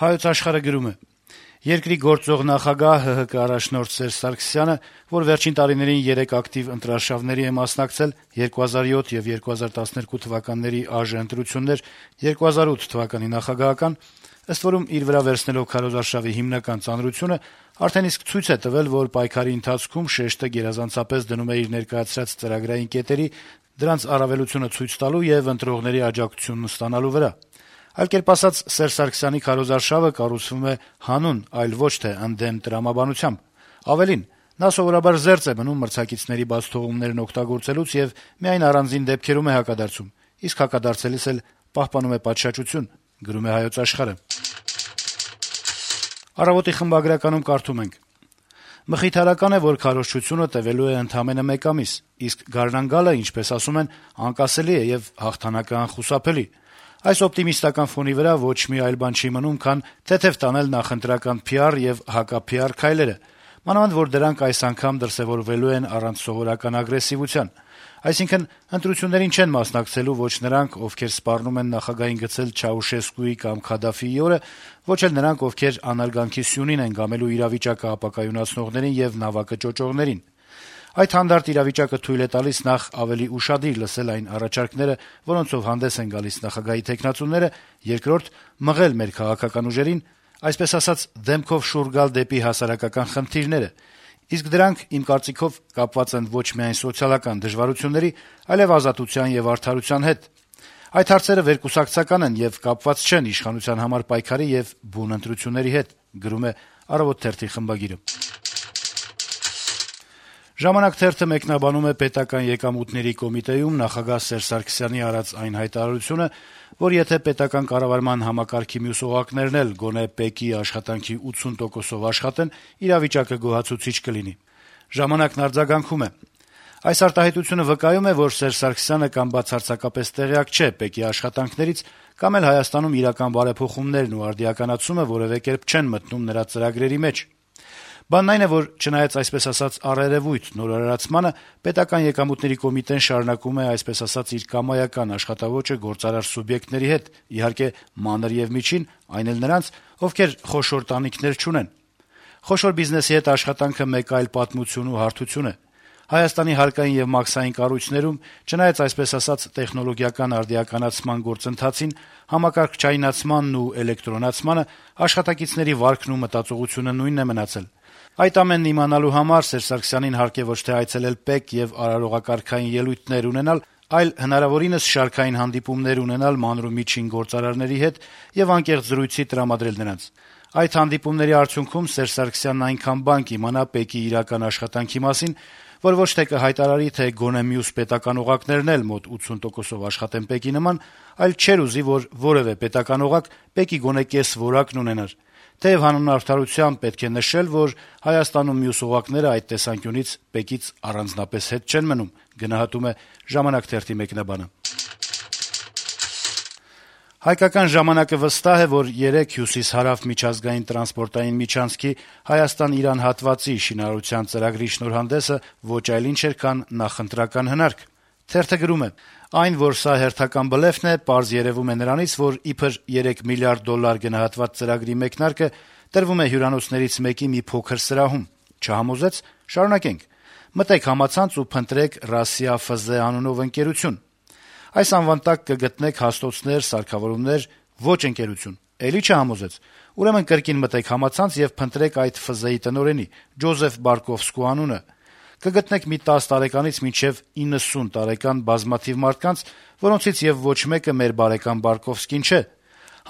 Հայոց Աշխարհը գրում է. - «Երկրի գործող նախագահ ՀՀԿ առաջնորդ Սերժ Սարգսյանը, որ վերջին տարիներին 3 ակտիվ ընտրարշավների է մասնակցել, 2007 եւ 2012 թվականների ԱԺ ընտրություններ, 2008 թվականի նախագահական, ըստ որում իր վրա վերցնելով քարոզարշավի հիմնական ծանրությունը, արդեն իսկ ցույց է տվել, որ պայքարի ընթացքում շեշտը գերազանցապես դնում է իր ներկայացրած ծրագրային կետերի, դրանց առավելությունը ցույց տալու եւ ընտրողների աջակցությունն ստանալու վրա։ Այլ կերպ ասած, Սերժ Սարգսյանի քարոզարշավը կառուցվում է հանուն, այլ ոչ թե ընդդեմ տրամաբանությամբ։ Ավելին, նա սովորաբար զերծ է մնում մրցակիցների բաց թողումներն օգտագործելուց եւ միայն առանձին դեպքերում է հակադարձում, իսկ հակադարձելիս էլ պահպանում է պատշաճություն»։ «Առավոտ»-ի խմբագրականում կարդում ենք. - «Մխիթարական է, որ քարոզչությունը տեւելու է ընդամենը 1 ամիս, իսկ գարնան-գալը, ինչպես ասում են, անկասելի է եւ հաղթանակը անխուսափելի։ Այս օպտիմիստական ֆոնի վրա ոչ մի այլ բան չի մնում, քան թեթեւ տանել նախընտրական PR եւ հակա-PR քայլերը, մանավանդ որ դրանք այս անգամ դրսեւորվելու են առանց սովորական ագրեսիվության։ Այսինքն, ընտրություններին չեն մասնակցելու ոչ նրանք, ովքեր սպառնում են նախագահին գցել Չաուշեսկուի կամ Քադաֆիի օրը, ոչ էլ նրանք, ովքեր անարգանքի սյունին են գամելու իրավիճակը ապակայունացնողներին եւ նավակը ճոճողներին։ Այդ հանդարտ իրավիճակը թույլ է տալիս նախ ավելի ուշադիր լսել այն առաջարկները, որոնցով հանդես են գալիս նախագահի թեկնածուները, երկրորդ՝ մղել մեր քաղաքական ուժերին, այսպես ասած, դեմքով շուռ գալ դեպի հասարակական խնդիրները, իսկ դրանք, իմ կարծիքով, կապված են ոչ միայն սոցիալական դժվարությունների, այլեւ ազատության եւ արդարության հետ։ Այդ հարցերը վերկուսակցական են եւ կապված չեն իշխանության համար պայքարի եւ բուն ընտրությունների հետ»։ «Ժամանակ» թերթը մեկնաբանում է Պետական եկամուտների կոմիտեում նախագահ Սերժ Սարգսյանի արած այն հայտարարությունը, որ եթե պետական կառավարման համակարգի մյուս օղակներն էլ գոնե ՊԵԿ-ի աշխատանքի 80%-ով աշխատեն, իրավիճակը գոհացուցիչ կլինի։ «Ժամանակ»-ն արձագանքում է. - «Այս արտահայտությունը վկայում է, որ Սերժ Սարգսյանը կամ բացարձակապես տեղյակ չէ ՊԵԿ-ի աշխատանքներից, կամ էլ Հայաստանում իրական բարեփոխումներն ու արդիականացումը որեւէ կերպ չեն մտնում նրա ծրագրերի մեջ։ Բանն այն է, որ չնայած այսպես ասած առերեւույթ նորարարացմանը, Պետական եկամուտների կոմիտեն շարունակում է այսպես ասած իր կամայական աշխատավոճը գործարար սուբյեկտների հետ, իհարկե մանր եւ միջին, այն էլ նրանց, ովքեր խոշոր տանիքներ չունեն։ Խոշոր բիզնեսի հետ աշխատանքը մեկ այլ պատմություն ու հարթություն է։ Հայաստանի հարկային եւ մաքսային կառույցներում, չնայած այսպես ասած տեխնոլոգիական արդիականացման գործընթացին, համակարգչայնացմանն ու էլեկտրոնացմանը, աշխատակիցների վարքն ու մտածողությունը նույնն է մնացել։ Այդ ամենն իմանալու համար Սերժ Սարգսյանին հարկ է ոչ թե այցելել ՊԵԿ եւ արարողակարգային ելույթներ ունենալ, այլ հնարավորինս շարքային հանդիպումներ ունենալ մանր ու միջին գործարարների հետ եւ անկեղծ զրույցի տրամադրել նրանց։ Այդ հանդիպումների արդյունքում Սերժ Սարգսյանն այնքան բան կիմանա ՊԵԿ-ի իրական աշխատանքի մասին, որ ոչ թե կհայտարարի, թե գոնե մյուս պետական օղակներն էլ մոտ 80%-ով աշխատեն ՊԵԿ-ի նման, այլ չէր ուզի, որ որեւէ պետական օղակ ՊԵԿ-ի գոնե կես որակն ունենար։ Թեեւ հանուն արդարության պետք է նշել, որ Հայաստանում մյուս օղակները այդ տեսանկյունից ՊԵԿ-ից առանձնապես հետ չեն մնում, գնահատում է «Ժամանակ» թերթի մեկնաբանը։ «Հայկական ժամանակ»-ը վստահ է, որ 3 հյուսիս-հարավ միջազգային տրանսպորտային միջանցքի Հայաստան-Իրան հատվածի շինարարության ծրագրի շնորհանդեսը ոչ այլ ինչ էր, քան նախընտրական հնարք։ Թերթը գրում է. - «Այն, որ սա հերթական բլեֆն է, պարզ երեւում է նրանից, որ իբր $3 միլիարդ գնահատված ծրագրի մեկնարկը տրվում է հյուրանոցներից մեկի մի փոքր սրահում։ Չհամոզեց՝ շարունակենք։ Մտեք համացանց ու փնտրեք «Ռասիա ՖԶ» անունով ընկերություն։ Այս անվան տակ կգտնեք հաստոցներ, սարքավորումներ, ոչ ընկերություն։ Էլի չհամոզեց։ Ուրեմն կրկին մտեք համացանց եւ փնտրեք այդ ՖԶ-ի տնօրենի՝ Ջոզեֆ Բարկովսկու անունը։ Կգտնեք մի 10 տարեկանից մինչեւ 90 տարեկան բազմաթիվ մարդկանց, որոնցից եւ ոչ մեկը մեր բարեկամ Բարկովսկին չէ։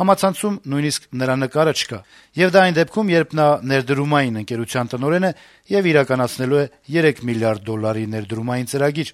Համացանցում նույնիսկ նրա նկարը չկա։ Եվ դա այն դեպքում, երբ նա ներդրումային ընկերության տնօրեն է եւ իրականացնելու է $3 միլիարդ ներդրումային ծրագիր»։